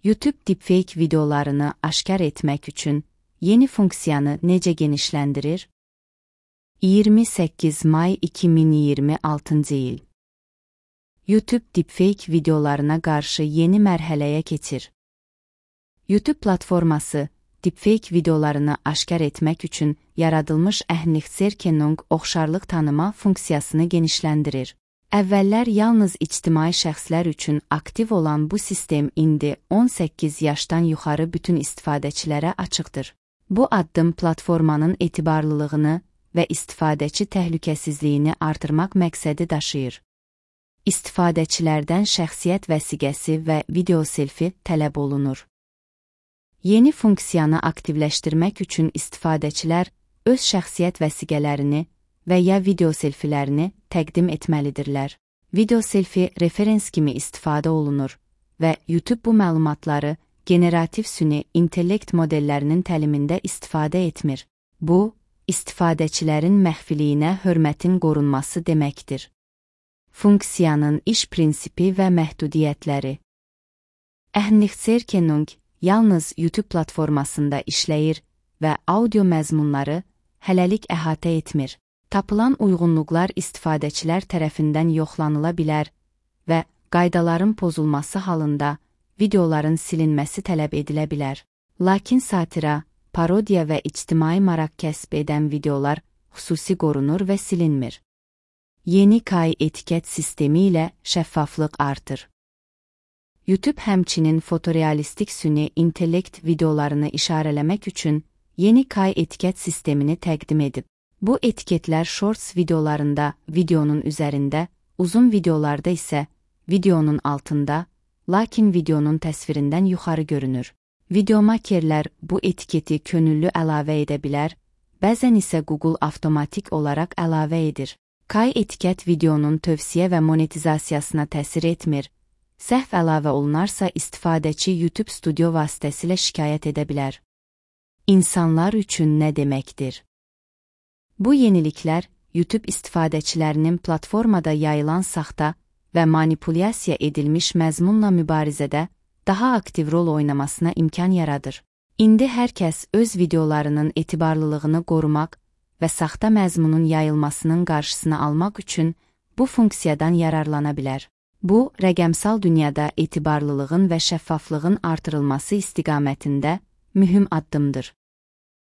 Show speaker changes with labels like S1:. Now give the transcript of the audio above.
S1: YouTube deepfake videolarını aşkar etmək üçün yeni funksiyanı necə genişləndirir? 28 may 2026 il. YouTube deepfake videolarına qarşı yeni mərhələyə keçir. YouTube platforması deepfake videolarını aşkar etmək üçün yaradılmış Ähnlichzerkennung oxşarlıq tanıma funksiyasını genişləndirir. Əvvəllər yalnız ictimai şəxslər üçün aktiv olan bu sistem indi 18 yaşdan yuxarı bütün istifadəçilərə açıqdır. Bu addım platformanın etibarlılığını və istifadəçi təhlükəsizliyini artırmaq məqsədi daşıyır. İstifadəçilərdən şəxsiyyət vəsiqəsi və video selfi tələb olunur. Yeni funksiyanı aktivləşdirmək üçün istifadəçilər öz şəxsiyyət vəsiqələrini və ya video selfilərini təqdim etməlidirlər. Video selfi referens kimi istifadə olunur və YouTube bu məlumatları generativ süni intellekt modellərinin təlimində istifadə etmir. Bu, istifadəçilərin məxfiliyinə hörmətin qorunması deməkdir. Funksiyanın iş prinsipi və məhdudiyyətləri. Ähnlichzerkennung yalnız YouTube platformasında işləyir və audio məzmunları hələlik əhatə etmir. Tapılan uyğunluqlar istifadəçilər tərəfindən yoxlanıla bilər və qaydaların pozulması halında videoların silinməsi tələb edilə bilər. Lakin satira, parodiya və ictimai maraq kəsb edən videolar xüsusi qorunur və silinmir. Yeni KI etiket sistemi ilə şəffaflıq artır. YouTube həmçinin fotorealistik süni intellekt videolarını işarələmək üçün yeni KI etiket sistemini təqdim edib. Bu etiketlər shorts videolarında videonun üzərində, uzun videolarda isə videonun altında, lakin videonun təsvirindən yuxarı görünür. Videomakerlər bu etiketi könüllü əlavə edə bilər, bəzən isə Google avtomatik olaraq əlavə edir. KI etiket videonun tövsiyə və monetizasiyasına təsir etmir. Səhv əlavə olunarsa istifadəçi YouTube Studio vasitəsilə şikayət edə bilər. İnsanlar üçün nə deməkdir? Bu yeniliklər YouTube istifadəçilərinin platformada yayılan saxta və manipulyasiya edilmiş məzmunla mübarizədə daha aktiv rol oynamasına imkan yaradır. İndi hər kəs öz videolarının etibarlılığını qorumaq və saxta məzmunun yayılmasının qarşısını almaq üçün bu funksiyadan yararlana bilər. Bu, rəqəmsal dünyada etibarlılığın və şəffaflığın artırılması istiqamətində mühüm addımdır.